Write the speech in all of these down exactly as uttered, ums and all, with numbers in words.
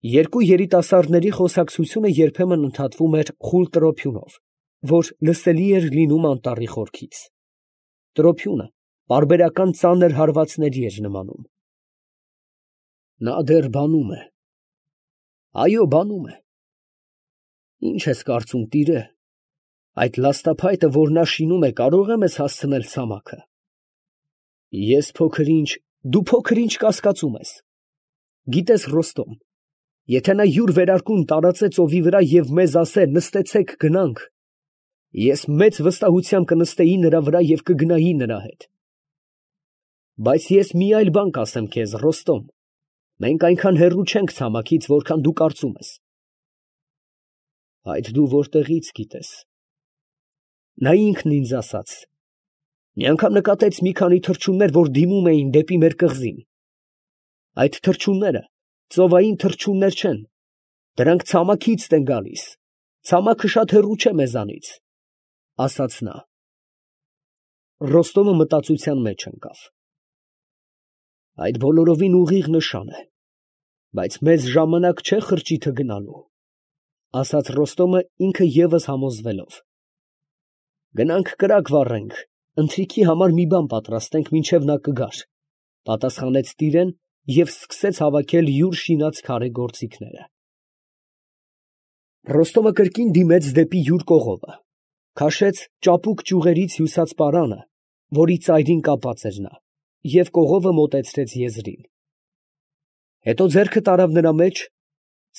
Երկու երիտասարդների խոսակցությունը երբեմն ընդհատվում էր խուլ տրոփյունով, որ լսելի էր լինում անտառի խորքից. տրոփյունը պարբերական ծանր հարվածների էր նմանում։ Նա դեռ բանում է, այո, բանում է։ Ի՞նչ ես կարծում, տիրե, այդ լաստափայտը, որ նա շինում է, կարող է մեզ հասցնել ցամաքը։ Ես փոքր-ինչ, դու փոքր-ինչ կասկածում ես։ Գիտես, Ռոստոմ, եթե նա յուր վերարկուն տարածե ծովի վրա և մեզ ասե նստեցեք գնանք, ես մեծ վստահությամբ կնստեի նրա վրա և կգնայի նրա հետ։ Բայց ես մի այլ բան կասեմ քեզ, Ռոստոմ, մենք այնքան հեռու չենք ցամաքից, որքան դու կարծում ես։ Այդ դու որտեղից գիտես։ Նա ինքն ինձ ասաց. մի անգամ նկատեց մի քանի թռչուններ, որ դիմում էին դեպի մեր կղզին։ Այդ թռչունները ծովային թռչուններ չեն, դրանք ցամաքից են գալիս, ցամաքը շատ հեռու չէ մեզանից, ֊ ասաց նա։ Ռոստոմը մտածության մեջ ընկավ։ Այդ բոլորովին ուղիղ նշան է, բայց մեզ ժամանակ չէ խրճիթը գնալու, ֊ ասաց Ռոստոմը ինքը ևս համոզվելով։ Գնանք կրակ վառենք, ընթրիքի համար մի բան պատրաստենք, մինչև նա կգար, ֊ պատասխանեց տիրեն և սկսեց հավաքել յուր շինած քարե գործիքները։ Ռոստոմը կրկին դիմեց դեպի յուր կողովը, քաշեց ճապուկ ճյուղերից հյուսած պարանը, որի ծայրին կապած էր նա, և կողովը մոտեցրեց եզրին։ Հետո ձեռքը տարավ նրա մեջ,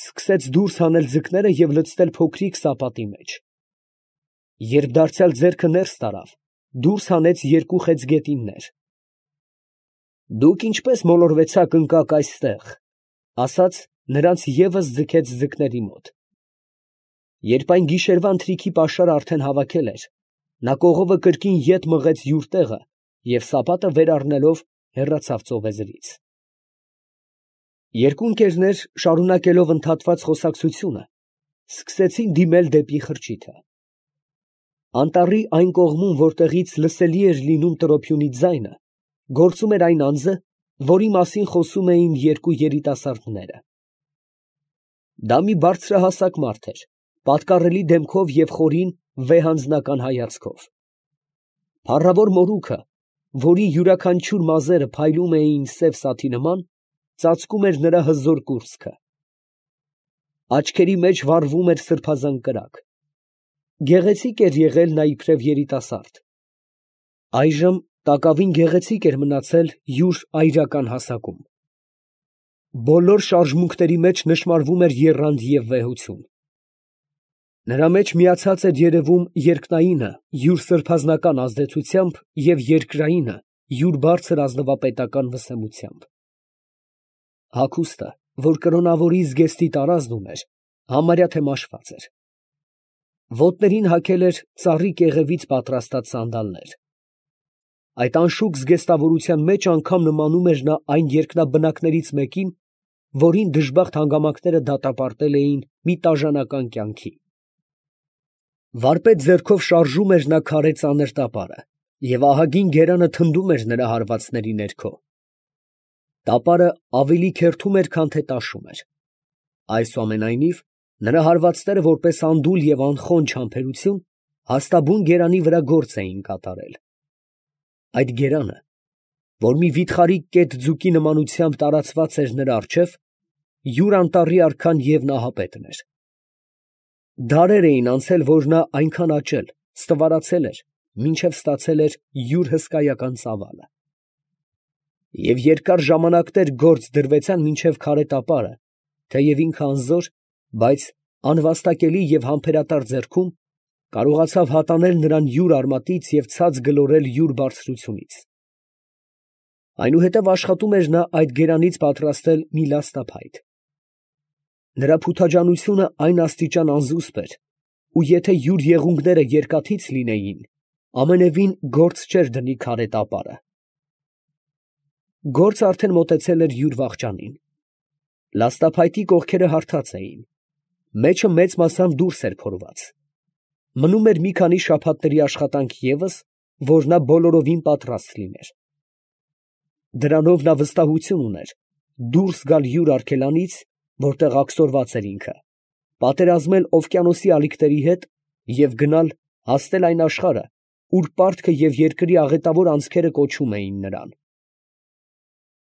սկսեց դուրս հանել ձկները և լցնել փոքրիկ սապատի մեջ։ Երբ դարձյալ ձեռքը ներս տարավ, դուրս հանեց երկու խեց գետիններ։ Դուք ինչպես մոլորվեցաք ընկաք այստեղ, ֊ ասաց, նրանց ևս ձգեց ձկների մոտ։ Երբ այն գիշերվա ընթրիքի պաշարը արդեն հավաքել էր, նա կողովը կրկին ետ մղեց յուր տեղը և սապատը վեր առնելով հեռացավ ծովեզրից։ Երկու ընկերներ, շարունակելով ընդհատված խոսակցությունը, սկսեցին դիմել դեպի խրճիթը։ Անտառի այն կողմում, որտեղից լսելի էր լինում տրոփյունի ձայնը, գործում էր այն անձը, որի մասին խոսում էին երկու երիտասարդները։ Դա մի բարձրահասակ մարդ էր, պատկառելի դեմքով և խորին վեհանձնական հայացքով։ Փառավոր մորուքը, որի յուրաքանչյուր մազերը փայլում էին սև սաթի նման, ծածկում էր նրա հզոր կուրծքը։ Աչքերի մեջ վառվում էր սրբազան կրակ։ Գեղեցիկ էր եղել նա իբրև երիտասարդ։ Այժմ տակավին գեղեցիկ էր մնացել յուր այրական հասակում։ Բոլոր շարժմունքների մեջ նշմարվում էր եռանդ և վեհություն։ Նրա մեջ միացած էր երևում երկնայինը յուր սրբազանական ազդեցությամբ և երկրայինը յուր բարձր ազնվապետական վսեմությամբ։ Հագուստը, որ կրոնավորի զգեստի տարազն ուներ, համարյա թե մաշված էր։ Ոտներին հագել էր ծառի կեղևից պատրաստած սանդալներ։ Այդ անշուք զգեստավորության մեջ անգամ նմանում էր նա այն երկնաբնակներից մեկին, որին դժբախտ հանգամանքները դատապարտել էին մի տաժանական կյանքի։ Վարպետ ձեռքով շարժում էր նա քարե ծանր տապարը, և ահագին գերանը թնդում էր նրա հարվածների ներքո։ Տապարը ավելի քերթում էր, քան թե տաշում էր։ Այսուամենայնիվ, նրա հարվածները, որպես անդուլ և անխոնջ համբերություն, հաստաբուն գերանի վրա գործ էին կատարել։ Այդ գերանը, որ մի վիթխարի կետ ձուկի նմանությամբ տարածված էր նրա առջև, յուր անտառի արքան և նահապետն էր։ Դարեր էին անցել, որ նա այնքան աճել, ստվարացել էր, մինչև ստացել էր յուր հսկայական ծավալը։ Եվ երկար ժամանակներ գործ դրվեցան, մինչև քարե տապարը, թեև ինքը անզոր, բայց անվաստակելի և համբերատար ձեռքում, կարողացավ հատանել նրան յուր արմատից և ցած գլորել յուր բարձրությունից։ Այնուհետև աշխատում էր նա այդ գերանից պատրաստել մի լաստափայտ։ Նրա փութաջանությունը այն աստիճան անզուսպ էր, ու եթե յուր եղունգները երկաթից լինեին, ամենևին գործ չէր դնի քարե տապարը։ Գործը արդեն մոտեցել էր յուր վախճանին։ Լաստափայտի կողքերը հարթած էին, մեջը մեծ մասամբ դուրս էր փորված։ Մնում էր մի քանի շաբաթների աշխատանք ևս, որ նա բոլորովին պատրաստ լիներ։ Դրանով նա վստահություն ուներ դուրս գալ յուր արգելանից որտեղ աքսորված էր ինքը, պատերազմել օվկիանոսի ալիքների հետ և գնալ հասնել այն աշխարհը, ուր պարտքը և երկրի աղետավոր անցքերը կոչում էին նրան։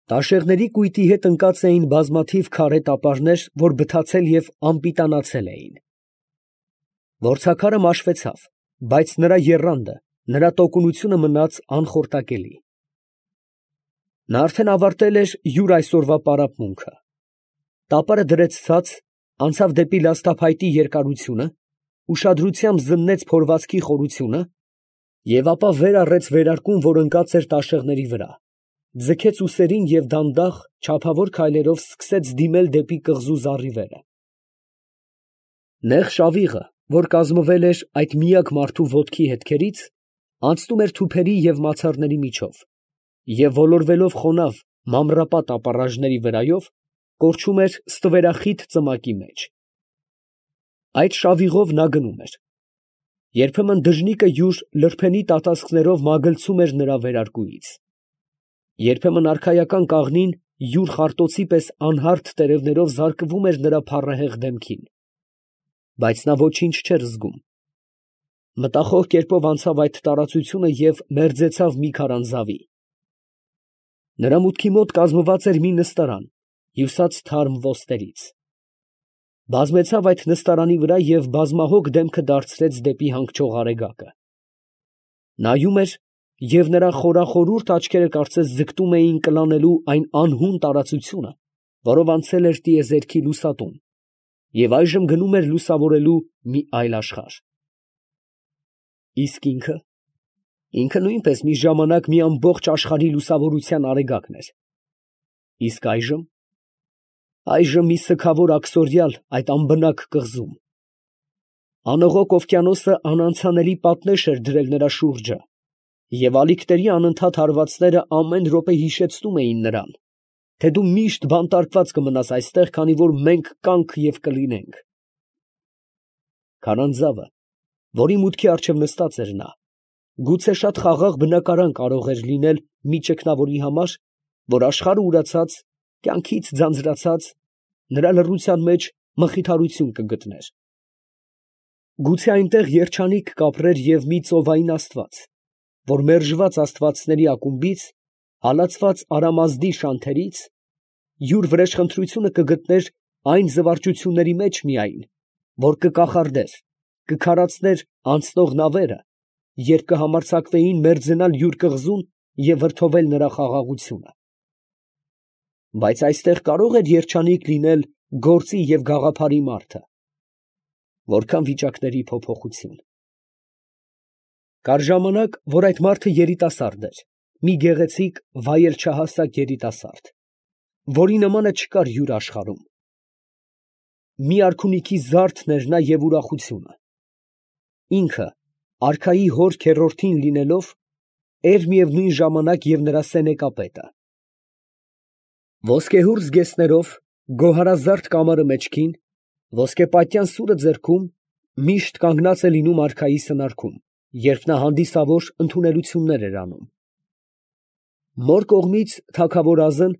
Տաշեղների կույտի հետ ընկած էին բազմաթիվ քարե տապարներ, որ բթացել և անպիտանացել էին։ Որցաքարը մաշվեցավ, բայց նրա եռանդը, նրա տոկունությունը մնաց անխորտակելի։ Նա արդեն ավարտել էր յուր այսօրվա պարապմունքը։ Տապարը դրեց ցած, անցավ դեպի լաստափայտի երկարությունը, ուշադրությամբ զննեց փորվածքի խորությունը և ապա վեր առեց վերարկուն, որ ընկած էր տաշեղների վրա, ձգեց ուսերին և դանդաղ, չափավոր քայլերով սկսեց դիմել դեպի կղզու զառիվերը։ Նեղ շավիղը, որ կազմվել էր այդ միակ մարդու ոտքի հետքերից, անցնում էր թուփերի և մացառների միջով և ոլորվելով խոնավ մանրապատ ապառաժների վրայով, կորչում էր ստվերախիտ ծմակի մեջ։ Այդ շավիղով նա գնում էր։ Երբեմն դժնիկը յուր լրբենի տատասկներով մագլցում էր նրա վերարկուից։ Երբեմն արքայական կաղնին յուր խարտոցի պես անհարթ տերևներով զարկվում էր նրա փառահեղ դեմքին, բայց նա ոչինչ չէր զգում։ Մտախոհ կերպով անցավ այդ տարածությունը և մերձեցավ մի քարանձավի։ Նրա մուտքի մոտ կազմված էր մի նստարան, հյուսած թարմ ոսկերից։ Բազմեցավ այդ նստարանի վրա և բազմահոգ դեմքը դարձրեց դեպի հանգչող արեգակը։ Նայում էր, և նրա խորախորուրդ աչքերը կարծես ձգտում էին կլանելու այն անհուն տարածությունը, որով անցել էր տիեզերքի լուսատուն, և այժմ գնում էր լուսավորելու մի այլ աշխարհ։ Իսկ ինքը… ինքը նույնպես մի ժամանակ մի ամբողջ աշխարհի լուսավորության արեգակն էր։ Իսկ այժմ… այժմ մի սգավոր աքսորյալ այդ անբնակ կղզում։ Անողոք օվկիանոսը անանցանելի պատնեշ էր դրել նրա շուրջը, և ալիքների անընդհատ հարվածները ամեն րոպե հիշեցնում էին նրան, թե դու միշտ բանտարկված կմնաս այստեղ, քանի որ մենք կանք և կլինենք։ Քարանձավը, որի մուտքի առջև նստած էր նա, գուցե շատ խաղաղ բնակարան կարող էր լինել մի ճգնավորի համար, որ աշխարհը ուրացած, կյանքից ձանձրացած, նրա լռության մեջ մխիթարություն կգտներ։ Գուցե այնտեղ երջանիկ կապրեր և մի ծովային աստված, որ մերժված աստվածների ակումբից, հալածված արամազդի շանթերից, յուր վրեժխնդրությունը կգտներ այն զվարճությունների մեջ միայն, որ կկախարդեր, կքարացներ անցնող նավերը, երբ կհամարձակվեին մերձենալ յուր կղզուն և վրդովել նրա խաղաղությունը։ Բայց այստեղ կարո՞ղ էր երջանիկ լինել գործի և գաղափարի մարդը։ Որքա՜ն վիճակների փոփոխություն։ Կար ժամանակ, որ այդ մարդը երիտասարդ էր, մի գեղեցիկ, վայել երիտասարդ, որի նմանը չկար յուր աշխարհում։ Մի արքունիքի զարդն էր նա և ուրախությունը։ Ինքը, արքայի հոր քեռորդին լինելով, էր միևնույն ժամանակ և նրա սենեկապետը։ Ոսկեհուռ զգեստներով, գոհարազարդ կամարը մեջքին, ոսկեպատյան սուրը ձեռքում, միշտ կանգնած է լինում արքայի սնարքում, երբ նա հանդիսավոր ընդունելություններ էր անում։ Մոր կողմից թագավորազն,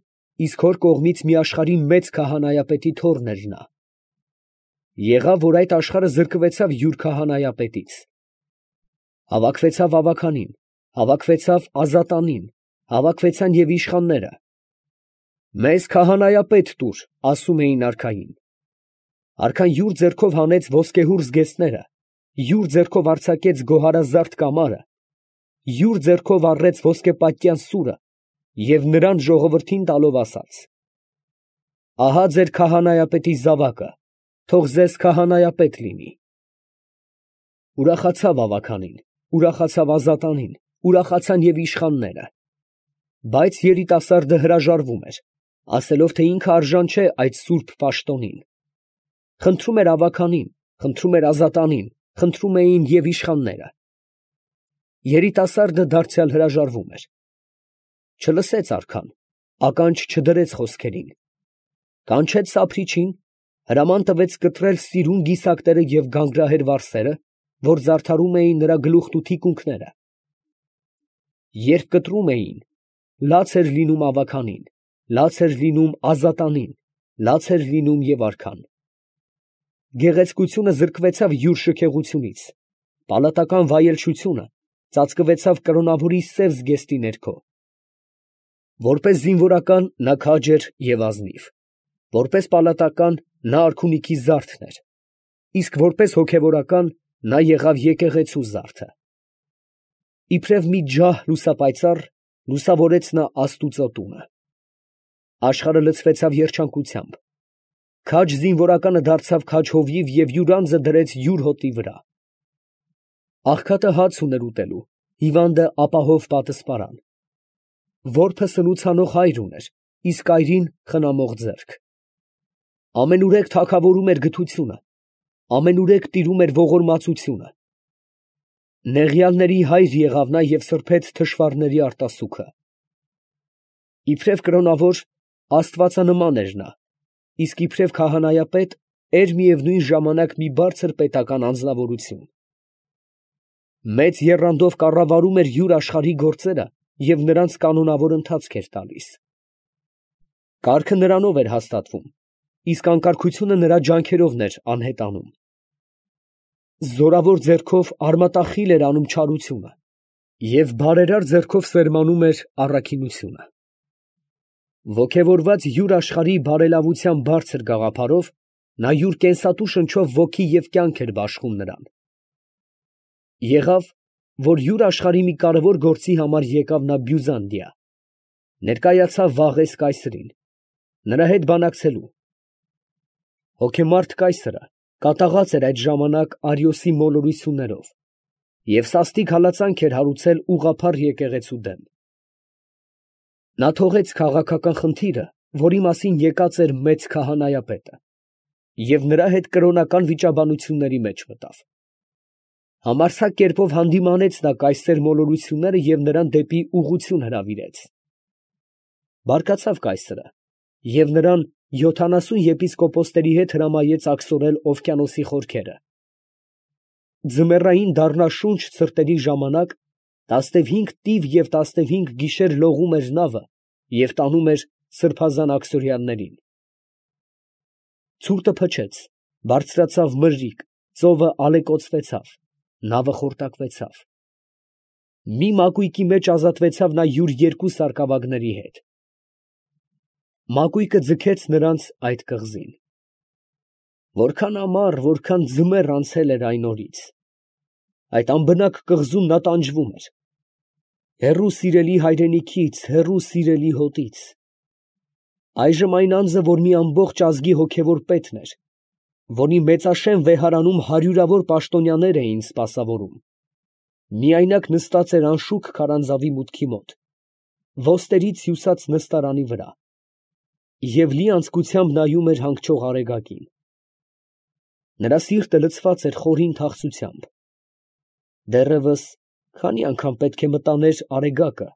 իսկ հոր կողմից մի աշխարհի մեծ քահանայապետի թոռն էր նա։ Եղավ, որ այդ աշխարհը զրկվեցավ յուր քահանայապետից։ Հավաքվեցավ ավագանին, հավաքվեցավ ազատանին, հավաքվեցան և իշխանները։ «Մեզ քահանայապետ տուր», ասում էին արքային։ Արքան յուր ձեռքով հանեց ոսկեհուռ զգեստները, յուր ձեռքով արձակեց գոհարազարդ կամարը, յուր ձեռքով առեց ոսկեպատյան սուրը և նրան ժողովրդին տալով ասաց. «Ահա ձեր քահանայապետի զավակը, թող ձեզ քահանայապետ լինի»։ Ուրախացավ ավագանին, ուրախացավ ազատանին, ուրախացան և իշխանները։ Բայց երիտասարդը հրաժարվում էր, ասելով, թե ինքը արժան չէ այդ սուրբ պաշտոնին։ Խնդրում էր ավագանին, խնդրում էր ազատանին, խնդրում էին և իշխանները։ Երիտասարդը դարձյալ հրաժարվում էր։ Չլսեց արքան, ականջ չդրեց խոսքերին։ Կանչեց սափրիչին, հրաման տվեց կտրել սիրուն գիսակները և գանգրահեր վարսերը, որ զարդարում էին նրա գլուխն ու թիկունքները։ Երբ կտրում էին, լաց էր լինում ավագանին, լաց էր լինում ազատանին, լաց էր լինում և արքան։ Գեղեցկությունը զրկվեցավ յուր շքեղությունից, պալատական վայելչությունը ծածկվեցավ կրոնավորի սև զգեստի ներքո։ Որպես զինվորական նա քաջ էր և ազնիվ, որպես պալատական նա արքունիքի զարդն էր, իսկ որպես հոգևորական նա եղավ եկեղեցու զարդը։ Իբրև մի ջահ լուսապայծառ լուսավորեց նա աստուծո տունը։ Աշխարհը լցվեցավ երջանկությամբ, քաջ զինվորականը դարձավ քաջ հովիվ և յուր անձը դրեց յուր հոտի վրա։ Աղքատը հաց ուներ ուտելու, հիվանդը ապահով պատսպարան։ Որբը սնուցանող հայր ուներ, իսկ այրին խնամող ձեռք։ Ամենուրեք թագավորում էր գթությունը, ամենուրեք տիրում էր ողորմածությունը։ Նեղյալների հայր եղավ նա և սրբեց թշվառների արտասուքը։ Իբրև կրոնավոր աստվածանման էր նա, իսկ իբրև քահանայապետ էր միևնույն ժամանակ մի բարձր պետական անձնավորություն։ Մեծ եռանդով կառավարում էր յուր աշխարհի գործերը և նրանց կանոնավոր ընթացք էր տալիս։ Կարգը նրանով էր հաստատվում, իսկ անկարգությունը նրա ջանքերովն էր անհետանում։ Զորավոր ձեռքով արմատախիլ էր անում չարությունը և բարերար ձեռքով սերմանում էր առաքինությունը։ Ոգևորված յուր աշխարհի բարելավության բարձր գաղափարով, նա յուր կենսատու շնչով ոգի և կյանք էր բաշխում նրան։ Եղավ, որ յուր աշխարհի մի կարևոր գործի համար եկավ նա Բյուզանդիա, ներկայացավ Վաղես կայսրին, նրա հետ բանակցելու։ Հոգեմարդ կայսրը կատաղած էր այդ ժամանակ Արիոսի մոլորություններով և սաստիկ հալածանք էր հարուցել ուղղափառ եկեղեցու դեմ։ Նա թողեց քաղաքական խնդիրը, որի մասին եկած էր մեծ քահանայապետը, և նրա հետ կրոնական վիճաբանությունների մեջ մտավ։ Համարձակ կերպով հանդիմանեց նա կայսեր մոլորությունները և նրան դեպի ուղղություն հրավիրեց։ Բարկացավ կայսրը և նրան յոթանասուն եպիսկոպոսների հետ հրամայեց աքսորել օվկիանոսի խորքերը։ Ձմեռային դառնաշունչ ցրտերի ժամանակ տասնևհինգ տիվ և տասնևհինգ գիշեր լողում էր նավը և տանում էր սրբազան աքսորյաններին։ Ցուրտը փչեց, բարձրացավ մրրիկ, ծովը ալեկոծվեցավ, նավը խորտակվեցավ։ Մի մակույկի մեջ ազատվեցավ նա յուր երկու սարկավագների հետ։ Մակույկը ձգեց նրանց այդ կղզին։ Որքան ամառ, որքան ձմեռ անցել էր այն օրից, այդ անբնակ կղզում նա տանջվում էր։ Հեռու սիրելի հայրենիքից, հեռու սիրելի հոտից։ Այժմ այն անձը, որ մի ամբողջ ազգի հոգևոր պետն էր, որի մեծաշեն վեհարանում հարյուրավոր պաշտոնյաներ էին սպասավորում, միայնակ նստած էր անշուք քարանձավի մուտքի մոտ, ոսկերից հյուսած նստարանի վրա, և լի անձկությամբ նայում էր հանգչող արեգակին։ Նրա սիրտը լցված էր խորին թախծությամբ։ Դեռևս քանի՜ անգամ պետք է մտաներ արեգակը,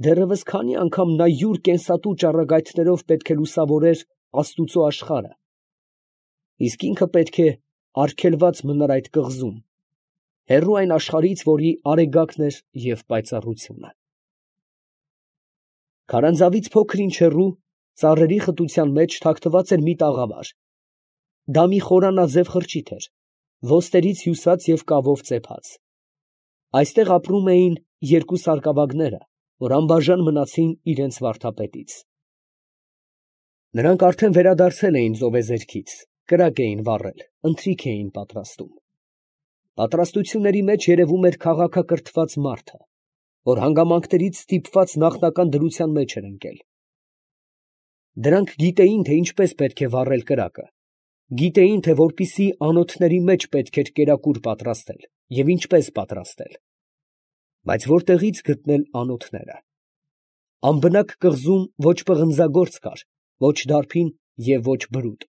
դեռևս քանի՜ անգամ նա յուր կենսատու ճառագայթներով պետք է լուսավորեր աստուծո աշխարհը, իսկ ինքը պետք է արգելված մնար այդ կղզում, հեռու այն աշխարհից, որի արեգակն էր և պայծառությունը։ Քարանձավից փոքր ինչ հեռու, ծառերի խտության մեջ թաքնված էր մի տաղավար. դա մի խորանաձև խրճիթ էր, ոսկերից հյուսած և կավով ծեփած։ Այստեղ ապրում էին երկու սարկավագները, որ անբաժան մնացին իրենց վարդապետից։ Նրանք արդեն վերադարձել էին ծովեզերքից, կրակ էին վառել, ընթրիք էին պատրաստում։ Պատրաստությունների մեջ երևում էր քաղաքակրթված մարդը, որ հանգամանքներից ստիպված նախնական դրության մեջ էր ընկել։ Դրանք գիտեին, թե ինչպես պետք է վառել կրակը, գիտեին, թե որպիսի անոթների մեջ պետք էր կերակուր պատրաստել և ինչպես պատրաստել, բայց որտեղի՞ց գտնել անոթները։ Անբնակ կղզում ոչ պղնձագործ կար, ոչ դարբին և ոչ բրուտ։